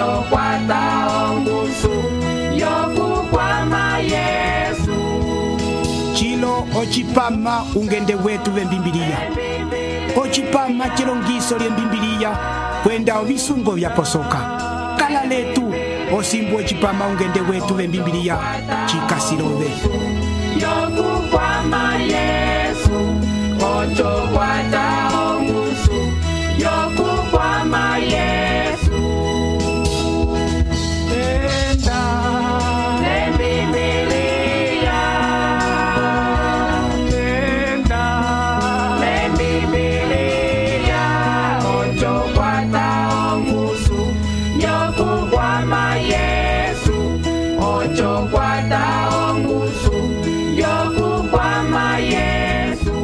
ocho kwata ongusu yokukwama Yesu. Chilo ochipama ungende wetu vembimbiliya. Ochipama chilongiso lyembimbiliya kwenda ovisungo vyaposoka. Kala letu osimbu ochipama ungende wetu vembimbiliya chikasilove. Yokukwama Yesu, ocho kwata ongusu yokukwama Yesu. Enda Lembibiliya, enda Lembibiliya, ocho kwata ongusu yokukwama Yesu, ocho kwata ongusu yokukwama Yesu.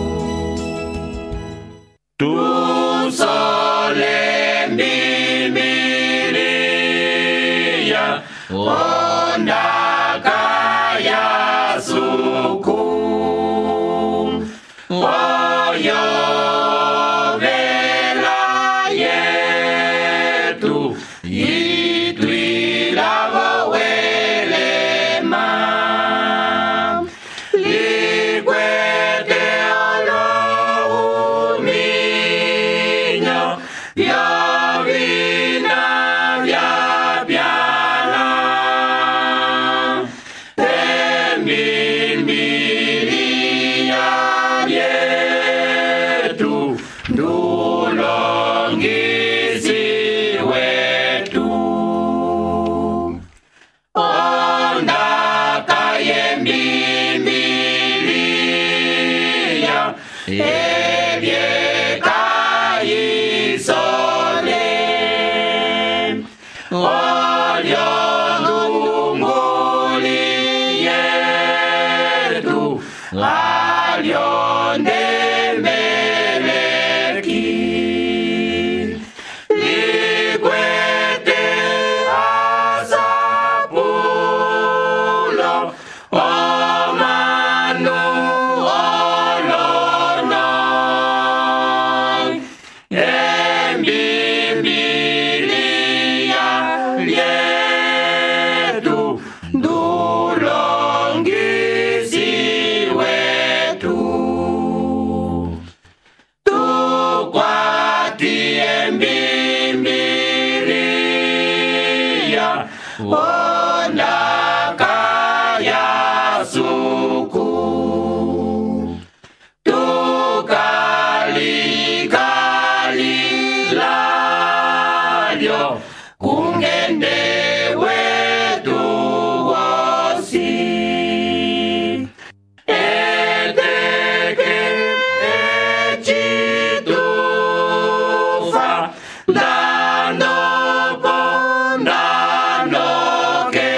Tusole Mbibiliya, ondaka ya suku, oyovela yetu, itwilavo welema, likwete olohuminyo, vyovina vyapyana, Lembibiliya lyetu, ndulongisi wetu. Ondaka yembibiliya, ebyeka yisole, olyo ndunguli yetu, alyo ndemeleki, likwete asapulo, omanu olono, embimbiliya lyetu, ndulongisi wetu. Tukwati embimbiliya, ondaka ya suku, tukalikalilyo, kungende wetu wosi, eteke echitufa, ndandopo ndandoke,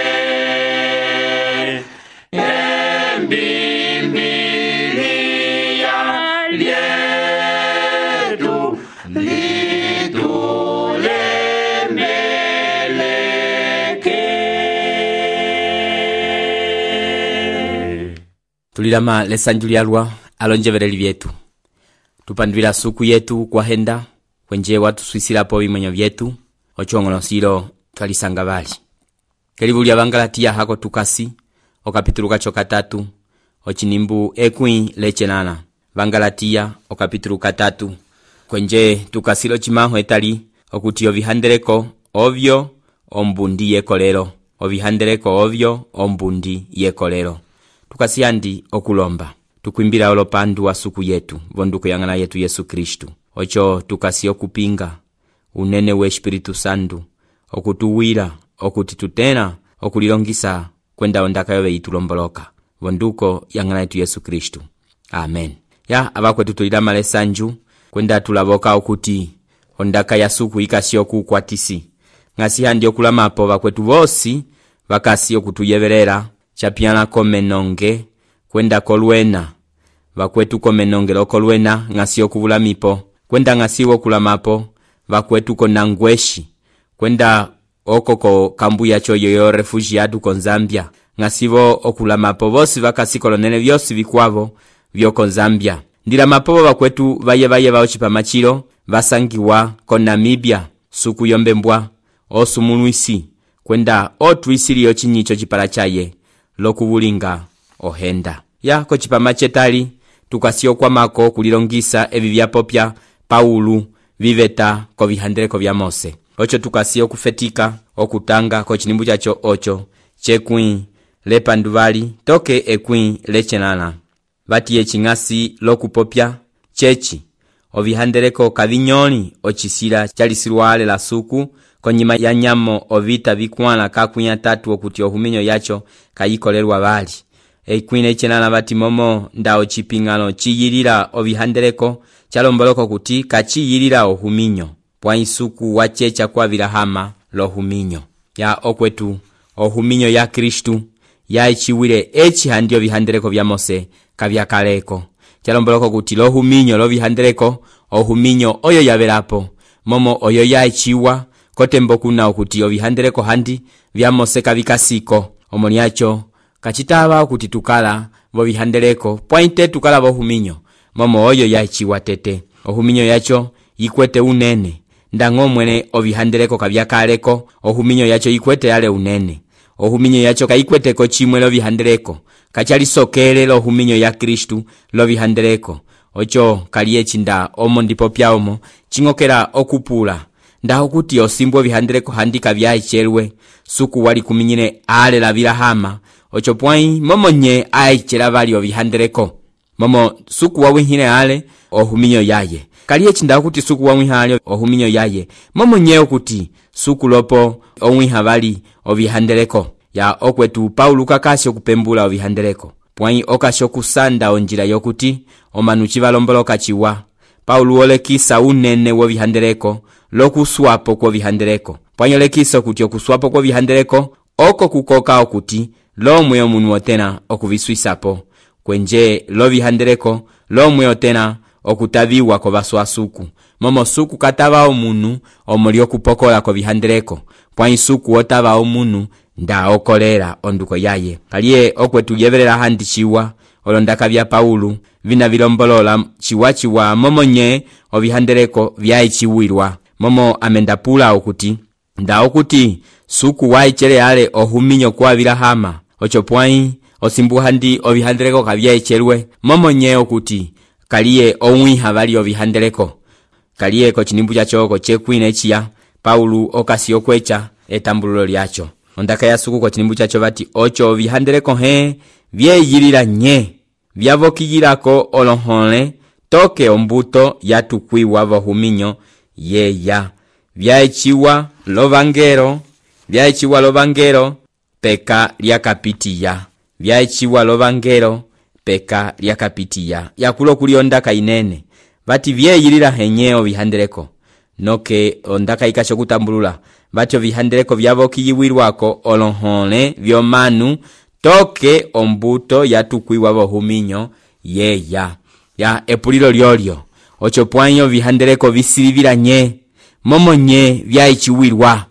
embimbiliya lyetu, litulemeleke. tulilama lesanju lyalwa alonjevereli vyetu tupanduvila suku yetu kwa henda kwenje watuswisilapo vimonyo vyetu ochongolosilo twalisanga vali kelivu lya Bangalatiya hako tukasi okapitulu kacho 3 ochinimbu ekwi lechenana Bangalatiya okapitulu 3 kwenje tukasilo chimaho etali okuti ovihandeleko ovyo ombundi yekolero ovihandeleko ovyo ombundi yekolero tukasiyandi okulomba tukwimbila olopandu wa suku yetu vonduko yangana yetu Yesu Kristu ocho tukasi okupinga unene we Espiritu Santu okutuwira okuti tutena okulilongisa kwenda ondaka yobe itulomboloka vonduko yangana yetu Yesu Kristu amen. Ya abakwetu tulilama lesanju kwenda tulaboka okuti ondaka ya suku ikasi okukwatisi ngasi handi okulamapo bakwetu bosi bakasi okutuyeverera chapiana komenonge kwenda kolwena bakwetu komenonge lokolwena ngasi okubulamipo kwenda ngasi okulamapo bakwetu konangweshi kwenda okoko kambuya choyo yo refugiado kon Zambia ngasibo okulamapo bosi bakasi kolonene byosi bikwavo byoko Zambia ndila mapobo bakwetu baye baochipa machiro basangiwa ko Namibia suku yombembwa osumulwisi kwenda otwisiliyo cinyico cipala caye lokuvulinga ohenda ya kocipama cetali tukasiyo kwamako kulilongisa evi vyapopya Paulo viveta kovihandeleko vya Mose. Ocho tukasiyo kufetika okutanga kocinimbu caco ocho cekwin lepanduvali toke ekwin lecenana vatiye cing'asi lokupopya ceci ovihandeleko kavinyoli ocisila calisilwale la suku konyima ya nyamo ovita vikwala kakwin atatu okuti ohuminyo yaco kayikolelwa vali ekwin lecenana vati momo nda ociping'alo ciyilila ovihandeleko calomboloko kuti kaciyilila ohuminyo pwa isuku waceca kwa vilahama lohuminyo ya okwetu ohuminyo ya Kristu ya iciwile ecihandi ovihandeleko vya Mose kavyakaleko calomboloko kuti lohuminyo lovihandeleko ohuminyo oyo yavelapo momo oyo ya iciwa kotembo kuna okuti ovihandeleko handi vya Mose kavikasiko omoliacho kacitava okuti tukala vovihandeleko pwainte tukala vohuminyo momo oyo ya iciwa tete ohuminyo yacho yikwete unene ndango mwene ovihandeleko kavyakaleko ohuminyo yacho yikwete yale unene ohuminyo yacho kayikweteko chimwe lovihandeleko kachalisokele lohuminyo ya Kristu lovihandeleko ocho kaliye cinda omo ndipo pyaomo chingokela okupula ndaho kuti osimbo vihandeleko handi kavyaicelwe suku wali kuminyine ale la vilahama ocho pwai momo nye aichela vali ovihandeleko momo suku wawihile ale ohuminyo yaye kaliye cinda kuti suku wawihale ohuminyo yaye momo nye okuti suku lopo owiha vali ovihandeleko ya okwetu Paulo kakasyo kupembula ovihandeleko pwai okasyo kusanda onjila yokuti omanuchi valomboloka ciwa Paulo olekisa unene wovihandeleko lokuswapo kwa vihandeleko pwai olekisa kuti okuswapo kwa vihandeleko oko kukoka okuti lomwe omunu otena okuviswisapo kwenje lovihandeleko lomwe otena okutaviwa ko baswasuku momo suku katava omunu omuli okupokola ko vihandeleko pwai suku otava omunu nda okolera onduko yaye kaliye okwetu yevelela handi ciwa olondaka vya Paulo vina vilombolola ciwa momo nye ovihandeleko vyaiciwilwa momo amendapula okuti nda okuti suku waicele ale ohuminyo kwa vilahama ocho pwai osimbu handi ovihandeleko kavyaicelwe momo nye okuti kaliye owiha vali ovihandeleko kaliye kocinimbu caco cekwine ciya Paulo okasiyo kweca etambululo lyaco ondaka ya suku kocinimbu caco vati ocho ovihandeleko vyeyilila nye vyavokiyilako olohole toke ombuto yatukwiwa vohuminyo yeya vyaiciwa lovangelo peka lyakapitiya vyaiciwa lovangelo peka lyakapitiya yakulo kuli ondaka inene vati vyeyilila henye ovihandeleko noke ondaka ikasho kutambulula vati ovihandeleko vyavokiyiwilwako olohole vyomanu toke ombuto yatukwiwa vohuminyo yeya ya epulilo lyolyo ocho pwai ovihandeleko visilivila nye momo nye vyaiciwilwa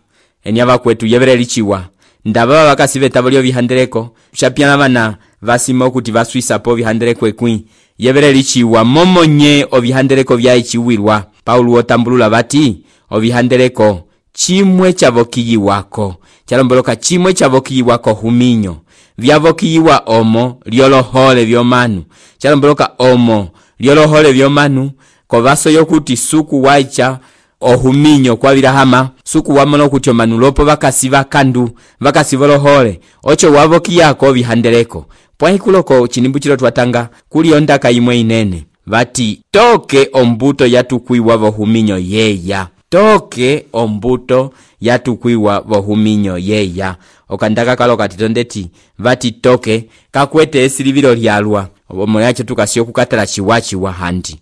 eni avakwetu yevelela iciwa ndava vakasiveta lyo vihandeleko shapyana vana vasima okuti vaswisapo vihandeleko ekwi yevelela iciwa momo nye ovihandeleko vyaiciwilwa Paulo otambulula vati ovihandeleko chimwe chavokiyiwako chalomboloka chimwe chavokiyiwako huminyo vyavokiyiwa omo lyolohole vyomanu chalomboloka omo lyolohole vyomanu kovaso yokuti suku waicha ohuminyo kwa vilahama suku wamono kuti omanu lopo vakasiva kandu vakasiva lohole ocho wavokiyako vihandeleko pwahikuloko cinimbu cilo twatanga kuli ondaka imwe inene vati toke ombuto yatukwiwa vohuminyo yeya toke ombuto yatukwiwa vohuminyo yeya okandaka kalo katitondeti vati toke kakwete esilivilo lyalwa omo yacho tukasiyo kukatala ciwa handi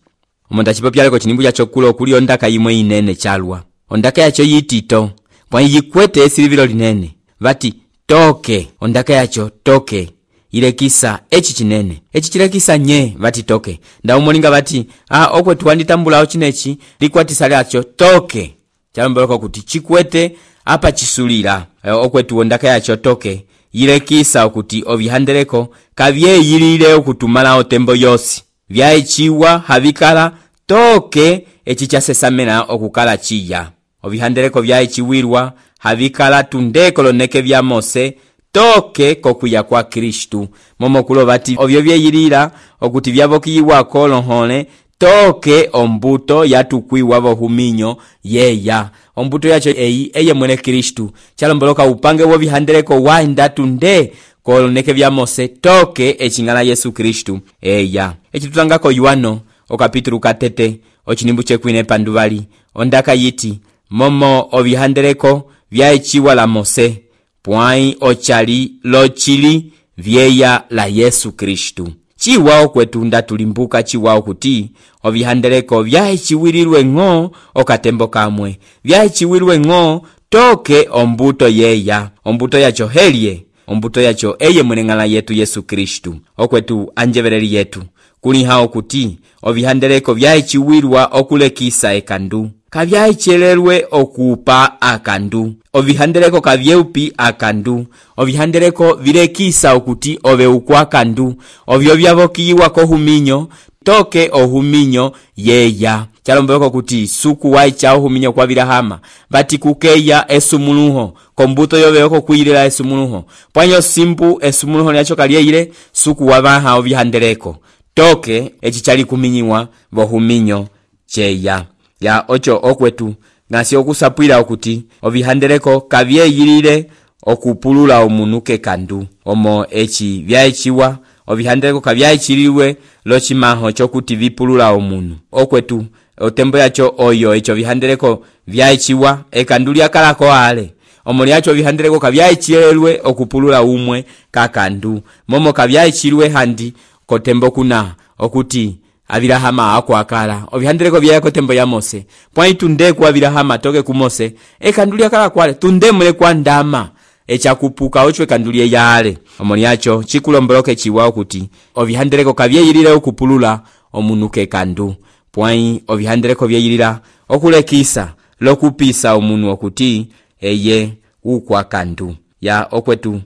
omonda cipopyaleko cinimbu yacho kulo kuli ondaka imwe inene calwa ondaka yacho yitito pwai yikwete esilivilo linene vati toke ondaka yacho toke ilekisa echi cinene echi chilekisa nye vati toke nda umolinga vati okwetu wanditambulawo cinechi likwatisa lyacho toke chalomboloko kuti chikwete apa chisulira okwetu ondaka yacho toke ilekisa okuti ovihandeleko kavyeyilile okutumala otembo yosi vyaiciwa havikala toke echi chasesamena okukala chiya ovihandeleko vyaeciwirwa havikala tunde koloneke vya Mose toke kokuya kwa Kristu. Momo kulo bati ovyo vyeyilila okuti vyavokiyiwa kolonhole toke ombuto yatukwiwa vohuminyo yeya. Ombuto yacho eyi eye mwene Kristu. Chalomboloka upange wo vihandeleko waenda tunde koloneke vya Mose toke echingala Yesu Kristu eya. Echitutangako Yohano okapitulu katete ochinimbu chekwine panduvali ondaka yiti momo ovihandeleko vyaeciwa la Mose pwai ochali lochili vyeya la Yesu Kristu. Chiwao kwetunda tulimbuka chiwao kuti ovihandeleko vyaeciwirilwe ng'o okatembo kamwe, vyaeciwirilwe ng'o toke ombuto yeya, ombuto yacho helye, ombuto yacho eye mwenengala yetu Yesu Kristu. Okwetu anjevereli yetu kuli hao kuti ovihandeleko vyaeciwirwa okulekisa ekandu, kavyaechelelwe okupa akandu, ovihandeleko kavyeupi akandu, ovihandeleko vilekisa okuti oveukwa akandu, ovyo vyavokiyiwa kohuminyo toke ohuminyo yeya. Chalomboko kuti suku waicha ohuminyo kwa vilahama bati kukeya esumuluho kombuto yoveko kuyilela esumuluho pwanyo simpu esumuluho nyacho kalyeile suku wabaha ovihandeleko toke echichali kuminyiwa vohuminyo cheya. Ya ocho okwetu ngasi okusapwila okuti ovihandeleko kavyeyilile okupulula omunuke kandu. Omo echi vyaeciwa ovihandeleko kavyaechiliwe lochimaho chokuti vipulula omunu. Okwetu otembo yacho oyo echo vihandeleko vyaeciwa ekandu lyakalako ale. Omo lyacho vihandeleko kavyaechilelwe okupulula umwe kakandu. Momo kavyaechilwe handi kotembo kuna okuti avilahama akwakala ovihandeleko vyako tembo ya Mose pwai tunde kwa avilahama toke ku Mose ekandu lyakala kwale tunde mule kwa ndama echakupuka ochwe kandulie yale. Omo lyacho chikulomboloke chiwao kuti ovihandeleko kavyeyilile okupulula omunuke kandu pwai ovihandeleko vyeyilila okulekisa lokupisa omunu okuti eye ukwa kandu. Ya okwetu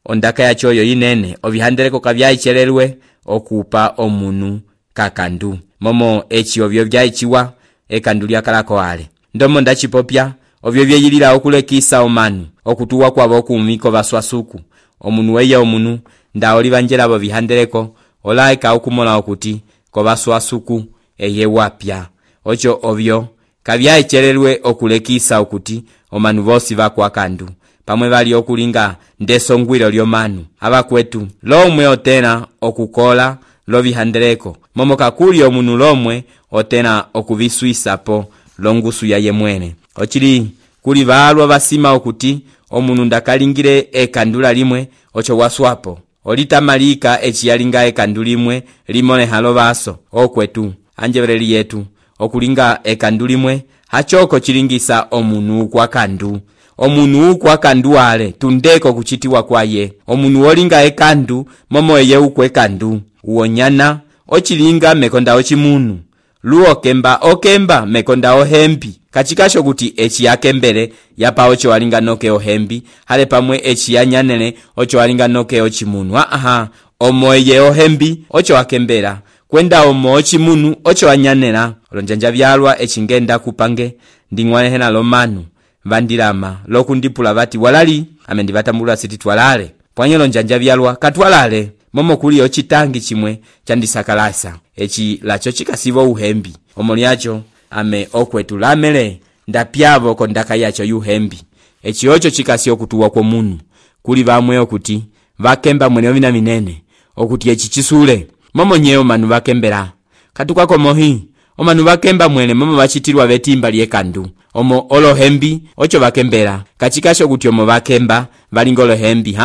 ondaka yacho yo inene ovihandeleko kavyaechelelwe okupa omunu kakandu. Momo echi ovyo vyaeciwa ekandu lyakalako ale ndomo ndachipopya ovyo vyeyilila okulekisa omanu okutuwa kwabo kumiko baswasuku omunu weye omunu nda olibanjela abo vihandeleko olaika okumola okuti ko baswasuku eye wapya. Ocho ovyo kavyaechelelwe okulekisa okuti omanu bosi bakwa kandu pamwe bali okulinga ndesongwilo lyomanu abakwetu lomwe otena okukola lo vihandeleko momo kakuli omunu lomwe otena okuviswisapo longusu ya yemwene. Ochili kuli balwa basima okuti omunu ndakalingire ekandula limwe ocho waswapo olitamalika echiyalinga ekandu limwe limone halo baso. Okwetu anjevereli yetu okulinga ekandu limwe hachoko chilingisa omunu kwa kandu. Omunu kwa kandu ale tundeko kuchitiwa kwaye omunu olinga ekandu momo eye ukwe kandu uonyana ochilinga mekonda ochimunu luokemba okemba mekonda ohembi kachikasho kuti echi yakembele yapa ocho walinga noke ohembi hale pamwe echi yanyanele ocho walinga noke ochimunu. Omo eye ohembi ocho wakembela kwenda omo ochimunu ocho wanyanela. Olonjanja vyalwa echingenda kupange ndingwane hena lomanu vandilama lokundipula bati walali amendi batambula siti twalale pwanyelo njanja vyalwa katwalale. Momo kuli ochitangi chimwe chandisakalasa echi lacho chikasibo uhembi omo lyacho ame okwetu lamele ndapyavo kondaka yacho yuhembi echi ocho chikasi okutuwa kwa munu kuli bamwe okuti vakemba mwene ovina minene okuti echi chisule momo nyeo manu vakembera katukwako mohi omanu vakemba mwene momo vachitirwa vetimba lyekandu omo olohembi ocho vakembera kachikasho kuti omo vakemba valingolo hembi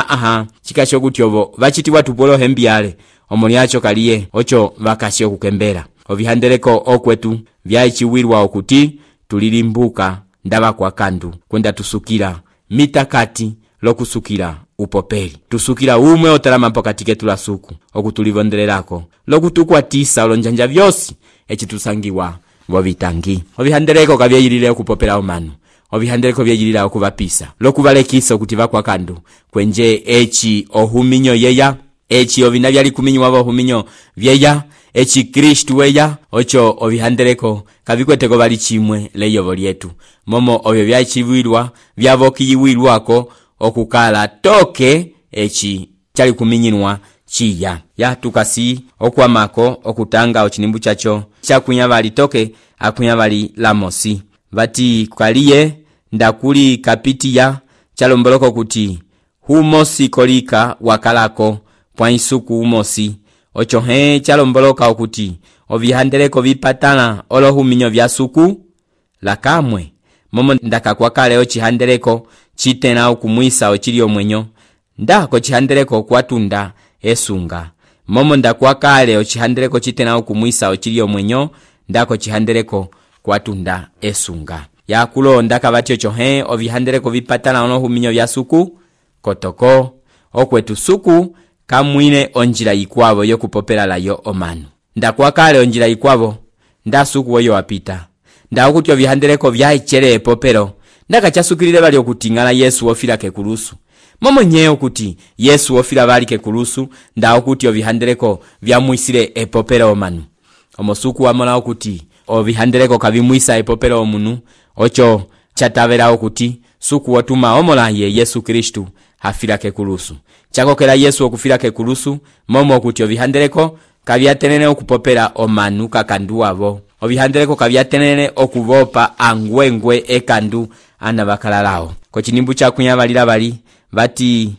chikasho kuti ovo vachitiwa tupolo hembi yale omo lyacho kaliye ocho vakasho kukembera. Ovihandeleko okwetu vyaeciwirwa okuti tulilimbuka ndaba kwa kandu kwenda tusukira mitakati lokusukira upopeli tusukira umwe otalama pokati ketu la suku okutulivondelelako lokutukwatisa olonjanja vyosi echitusangiwa vovitangi. Ovihandeleko kavyeyilile okupopela omanu ovihandeleko vyeyilila okuvapisa lokuvalekisa okuti vakwa kandu kwenje echi ohuminyo yeya echi ovina vyali kuminyiwa vohuminyo vyeya eci Kristu weya ocho ovihandeleko kavikweteko vali chimwe leyovo lyetu momo ovyo vyachiwilwa vyavokiyiwilwako okukala toke eci chali kuminyinwa chiya ya tukasi okwamako okutanga ochinimbu chacho chakunya vali toke akunya vali lamosi vati kaliye ndakuli kapitiya chalomboloko kuti humosi kolika wakalako pwa isuku umosi ocho chalomboloka okuti ovihandeleko vipatana olohuminyo vya suku lakamwe momo ndakakwakale ochihandeleko chitena okumwisa ochili omwenyo ndako chihandeleko kwatunda esunga momo ndakwakale ochihandeleko chitena okumwisa ochili omwenyo ndako chihandeleko kwatunda esunga yakulonda kavati ocho ovihandeleko vipatana olohuminyo vya suku kotoko okwetu suku kamwine onjila yikwavo yokupopela layo omanu ndakwakale onjila yikwavo ndasuku oyo wapita ndakuti ovihandeleko vyaichele epopelo ndakachasukilile bali okutingala Yesu wofila kekulusu momo nyeo kuti Yesu wofila bali kekulusu ndakuti ovihandeleko vyamwisile epopelo omanu omosuku wamola okuti ovihandeleko kavimwisa epopelo omunu ocho chatavela okuti suku wotuma omola ye Yesu Kristu hafila kekulusu chakokela Yesu okufila kekulusu momo okuti ovihandeleko kavyatenene okupopela omanu kakandu avo ovihandeleko kavyatenene okuvopa angwengwe ekandu ana bakalalao kochinimbu chakunya balila bali vati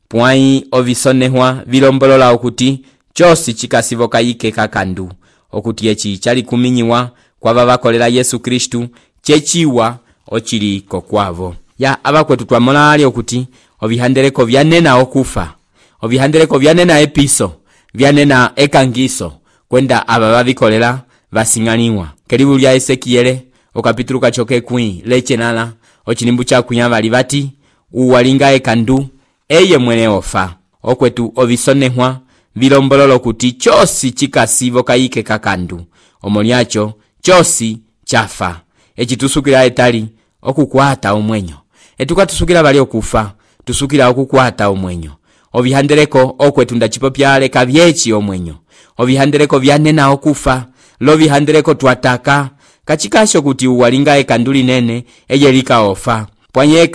pwai ovisonehwa vilombolola okuti chosi chikasivoka yike kakandu okuti echi chali kuminyiwa kwa babakolela Yesu Kristu chechiwa ochili kokwavo ya abakwetu twamola ali okuti ovihandeleko vyanena okufa ovihandeleko vyanena episo vyanena ekangiso kwenda aba babikolela basing'aniwa kelibu lya Ezekiele okapitulu kachoke kwi lechenala ochinimbu chakunya bali bati uwalinga ekandu eye mwene ofa okwetu ovisonehwa vilombololo kuti chosi chikasivo kayike kakandu omolyacho chosi chafa echitusukira etali okukwata omwenyo etukatusukira bali okufa tusukira okukwata omwenyo ovihandeleko okwetu ndachipopyale kavyechi omwenyo ovihandeleko vyanena okufa lo vihandeleko twataka kachikasho kuti uwalinga ekandu linene eyelika ofa pwanye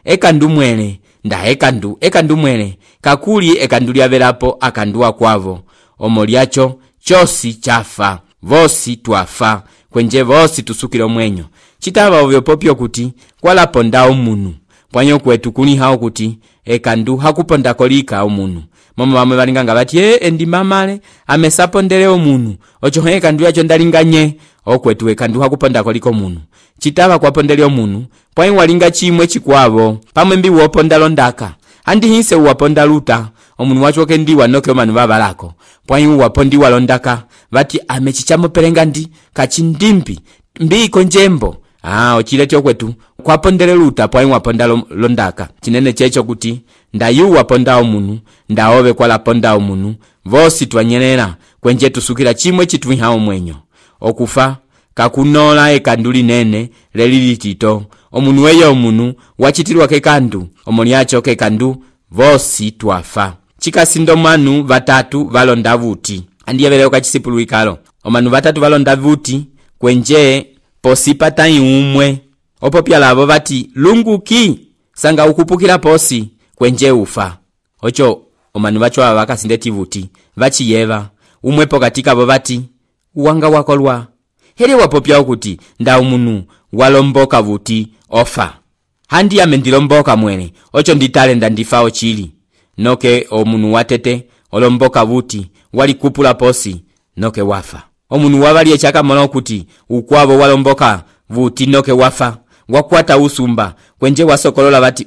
ekandu mwele nda ekandu mwele kakuli ekandu lyavelapo akandu akwavo omolyacho chosi chafa vosi twafa kwenje vosi tusukira omwenyo chitava ovyopopyo kuti kwalaponda omunu pwanyo kwetu kuniha okuti ekandu hakuponda kolika omunu momo bamwe balinganga bati endi mamale amesapondele omunu ocho ekandu yacho ndalinganye okwetu ekandu hakuponda koliko omunu chitava kwapondele omunu pwanyo walinga chimwe chikwavo pamwe mbi woponda londaka andi hinse uwaponda luta omunu wachoke ndiwa noke omanu babalako pwanyo wapondiwa londaka bati amechichamo pelenga ndi kachindimbi mbiko njembo ochileti okwetu kwapondele luta pwanyo waponda londaka chinene checho kuti ndayu waponda omunu ndaove kwalaponda omunu vosi twanyelela kwenje tusukira chimwe chitwiha omwenyo okufa kakunola ekandu linene lelilitito omunu weyo omunu wachitilwa kekandu omolyacho kekandu vosi twafa chikasindo manu batatu valonda vuti andiyeveleyo kachisipulu ikalo omanu batatu valonda vuti kwenje posipata umwe opopya lavo bati lunguki sanga ukupukila posi kwenje ufa ocho omanu bacho aba bakasindeti vuti bachiyeva umwe pokatika abo bati uwanga wakolwa hele wapopya okuti nda umunu walomboka vuti ofa handi amendilomboka mwene ocho nditale ndandifa ochili noke omunu watete olomboka vuti wali kupula posi noke wafa omunu wabali echaka mola okuti ukwabo walomboka vuti noke wafa wakwata usumba kwenje wasokolola bati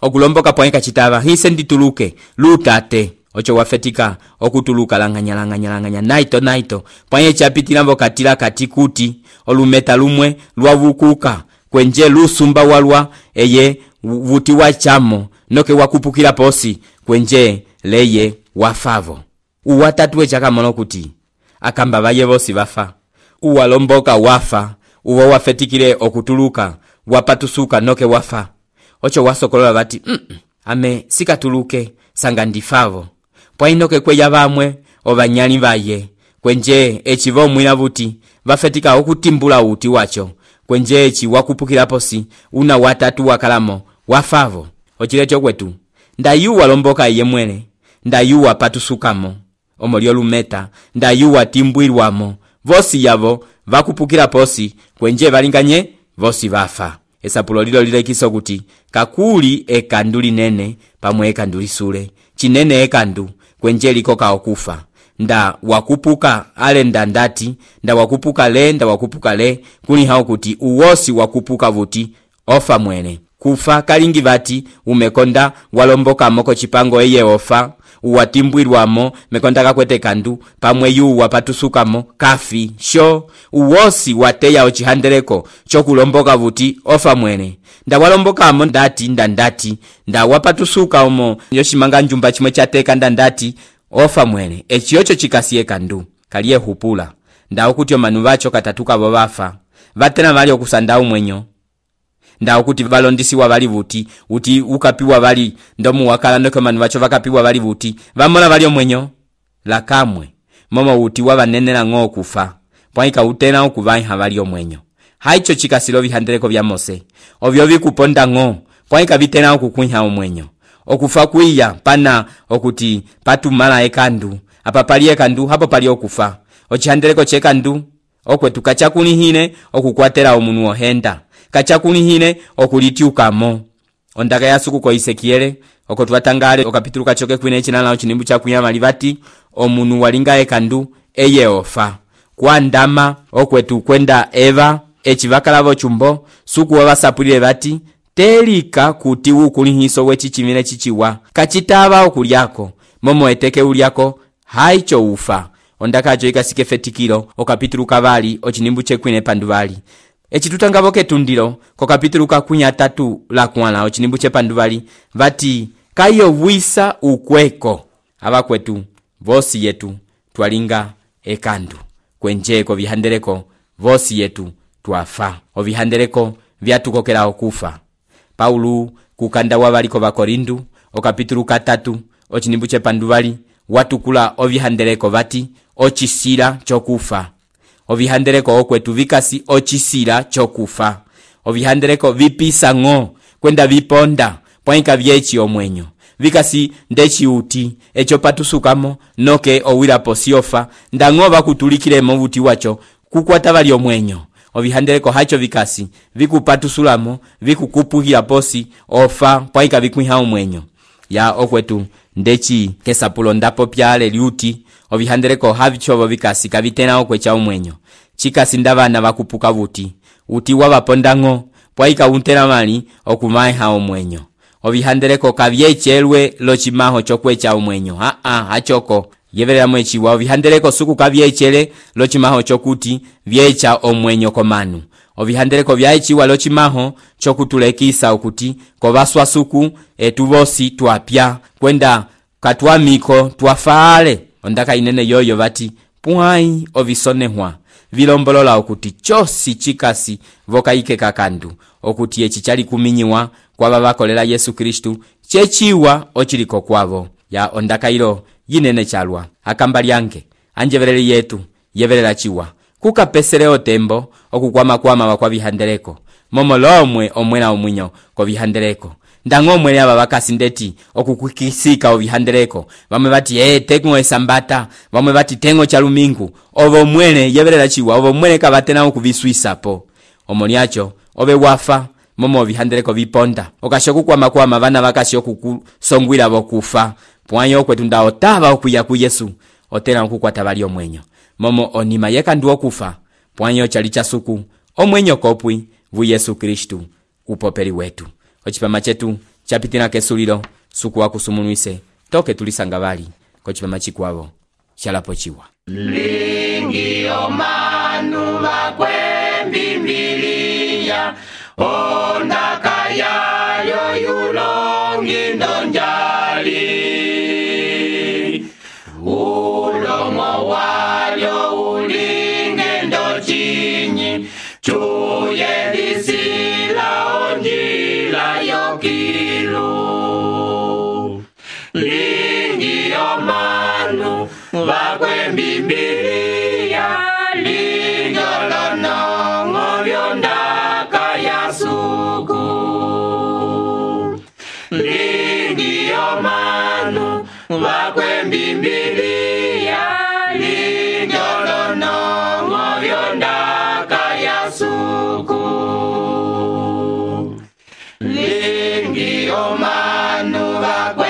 okulomboka pwanyika chitava hise ndituluke lutate ocho wafetika okutuluka langanya naito pwanye chapitila mbokatila katikuti olumeta lumwe lwavukuka kwenje lusumba walwa eye vuti wachamo noke wakupukila posi kwenje leye wafavo uwatatuwe chakamono kuti akamba baye vosi bafa uwalomboka wafa uwo wafetikile okutuluka wapatusuka noke wafa ocho wasokolola bati ame sikatuluke sanga ndifavo pwainoke kweya bamwe obanyali baye kwenje eci vomwila vuti vafetika okutimbula uti wacho kwenje eci wakupukila posi una watatu wakalamo wafavo ocilecho kwetu ndayuwa lomboka iye mwele ndayuwa patusukamo omolio lumeta ndayuwa timbwilwamo vosi yavo vakupukila posi kwenje valinganye vosi vafa. Esapulo lilo lilekiso kuti kakuli ekandu linene pamwe ekandu lisule chinene ekandu kwenje likoka okufa nda wakupuka ale ndandati nda wakupuka le kuni hao kuti uwosi wakupuka vuti ofa mwene kufa kalingi vati umekonda walomboka moko chipango eye ofa uwatimbwilwamo mekonda kakwete kandu pamwe yu wapatusukamo kafi sho uwosi wateya ocihandeleko chokulomboka vuti ofa mwene nda walombokamo ndati nda wapatusuka omo yoshimanga njumba chimwe chateka ndandati ofa mwene echiyocho chikasiye kandu kaliye hupula nda okuti omanu vacho katatuka vo vafa vatena vali okusanda umwenyo nda okuti valondisiwa vali vuti uti ukapiwa vali ndomu wakala ndoke manu vacho vakapiwa vali vuti vamona vali omwenyo lakamwe momo uti wavanenela ng'o kufa pwaika utena okuvaiha vali omwenyo haicho chikasilo vihandeleko vya Mose ovyo vikuponda ng'o pwaika vitena okukuiha omwenyo okufa kuiya pana okuti patumala ekandu apa pali ekandu hapo pali okufa ocihandeleko chekandu okwetu kachakunihine okukwatela omunu ohenda kachakunihine okulitiukamo ondaka yasuku ko Isekiele oko twatangale okapituluka choke kwine chinala ochinimbu cha kuyama livati omunu walinga ekandu eye ofa kwa ndama okwetu kwenda Eva echivakalavo chumbo suku wavasapulile vati telika kuti ukulihiso wechichimile chichiwa kachitava okulyako momo eteke ulyako haicho ufa ondaka ajo ikasike fetikilo okapituluka vali ochinimbu chekwine pandu vali echitutangavo ketundilo kokapituluka kunya tatu la kwala ochinimbu chepandu vali vati kayo wisa ukweko abakwetu vosi yetu twalinga ekandu kwenjeko vihandeleko vosi yetu twafa ovihandeleko vyatukokela okufa. Paulu kukanda wabaliko bakorindu okapituluka 3 ochinimbu chepandu vali watukula ovihandeleko vati ochisila chokufa ovihandeleko okwetu vikasi ochisila chokufa ovihandeleko vipisa ng'o kwenda viponda pwaika vyechi omwenyo vikasi ndechi uti echo patusukamo noke owila posiofa ndang'o bakutulikilemo buti wacho kukwata bali omwenyo ovihandeleko hacho vikasi vikupatusulamo vikukupuhila posi ofa pwaika vikwiha omwenyo ya okwetu ndechi kesapulo ndapo pyale liuti ovihandeleko havichovo vikasi kavitena okwecha omwenyo chikasi ndabana bakupuka buti uti wabapondang'o pwaika untena mali okumaiha omwenyo ovihandeleko kavyechelwe lochimaho chokwecha omwenyo hachoko yeverera mwechiwa ovihandeleko suku kavyechele lochimaho chokuti vyecha omwenyo komanu ovihandeleko vyaechiwa lochimaho chokutulekisa okuti kovaswa suku etuvosi twapya kwenda katwamiko twafaale ondaka inene yoyo vati pwai ovisonehwa vilombolola okuti chosi chikasi vokaike kakandu okuti echi chali kuminyiwa kwa babakolela Yesu Kristu chechiwa ochiliko kwavo ya ondaka ilo yinene chalwa akamba lyange anjeverele yetu yeverela chiwa kukapesele otembo okukwama wakwa vihandeleko momo lomwe omwela omwinyo ko vihandeleko ndang'o mwele aba bakasi ndeti okukukisika ovihandeleko bamwe bati tengo esambata bamwe bati tengo chalumingu ovo mwele yeverela chiwa ovo mwele kabatena okuviswisapo omoniacho obe wafa momo vihandeleko viponda okashoku kwa bana bakasi okukusongwila bokufa pwanyo kwetu ndaotaba okuya ku Yesu otera okukwata bali omwenyo momo onima yekandu okufa pwanyo chali chasuku omwenyo kopwi vu Yesu Kristu upopeli wetu ochipama chetu chapitina kesulilo suku wakusumunwise toke tulisanga bali kochipama chikwavo chalapo chiwa lingi omanu bakwe Biblia ondaka yayo yulongi ndonjali ulomo walyo ulinge ndochinyi chuye lisila onjila yokilu lingi omanu bakwe Biblia vakwe mbimbilia linjolonongo vyondaka ya suku lingi omanu vakwe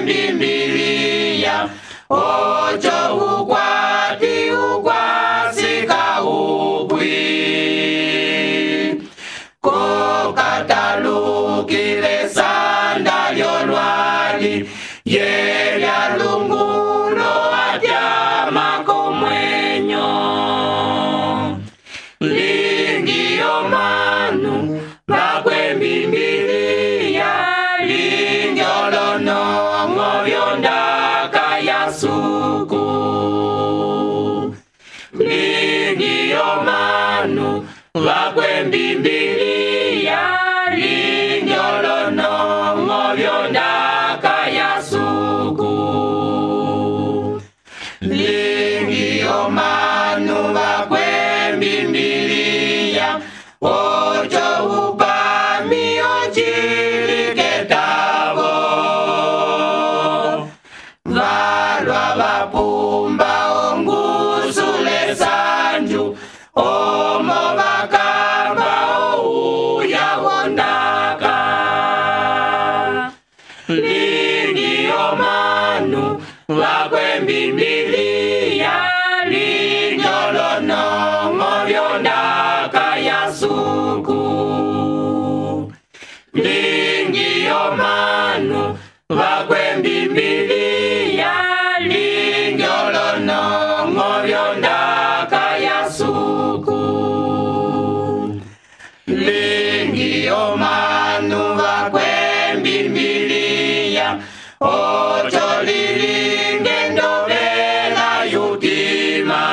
mbimbilia ocho ukwati ukwasika upwi kokatalukile sanda lyolwali yelya lungulo atyama komwenyo lingi omanu vakwe mbimbilia linjolonongo vyondaka ya suku lingi omanu vakwe mbimbilia linjolonongo vyondaka ya suku lingi omanu vakwe mbimbilia ocho upami ochiliketavo valwa vapumba ongusule sanju omo vakamba ouya wondaka lingi omanu vakwe mbimbilia linjolonongo vyondaka ya suku lingi omanu vakwe mbimbilia linjolonongo vyondaka ya suku lingi omanu vakwe mbimbilia ocho lilinge ndovela yutima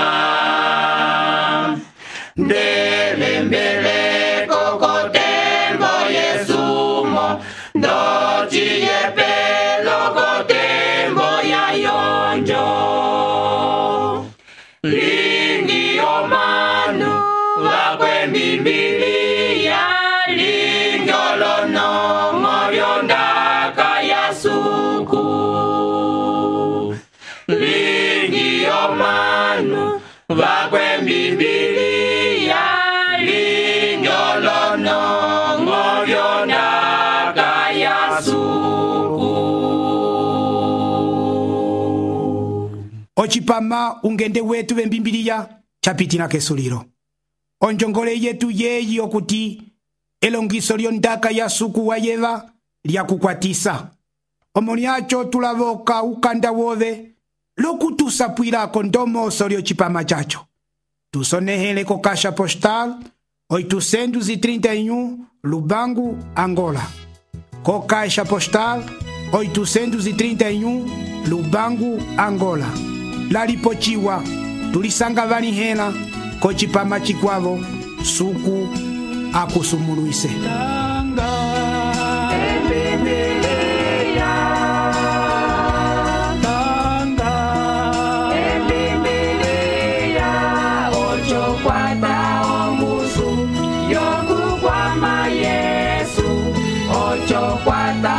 ndelembeleko kotembo yesumo ndociyepelo kotembo ya yonjo lingi omanu vakwe mbimbilia linjolonongo vyondaka ya suku lingi omanu vakwe mbimbilia linjolonongo vyondaka ya suku ocipama ungende wetu vembimbiliya capitina kesulilo onjongole yetu yeyi okuti elongiso lyondaka ya suku wa yeva lyakukwatisa omo lyaco tulavoka ukanda wove lokutusapwilako ndomoso lyocipama caco tusonehele ko caixa postal 831 Lubango, Angola. Co caixa postal 831 Lubango, Angola. Lalipochiwa tulisanga vanihela ko cipama cikwavo suku akusumuluise. Kwata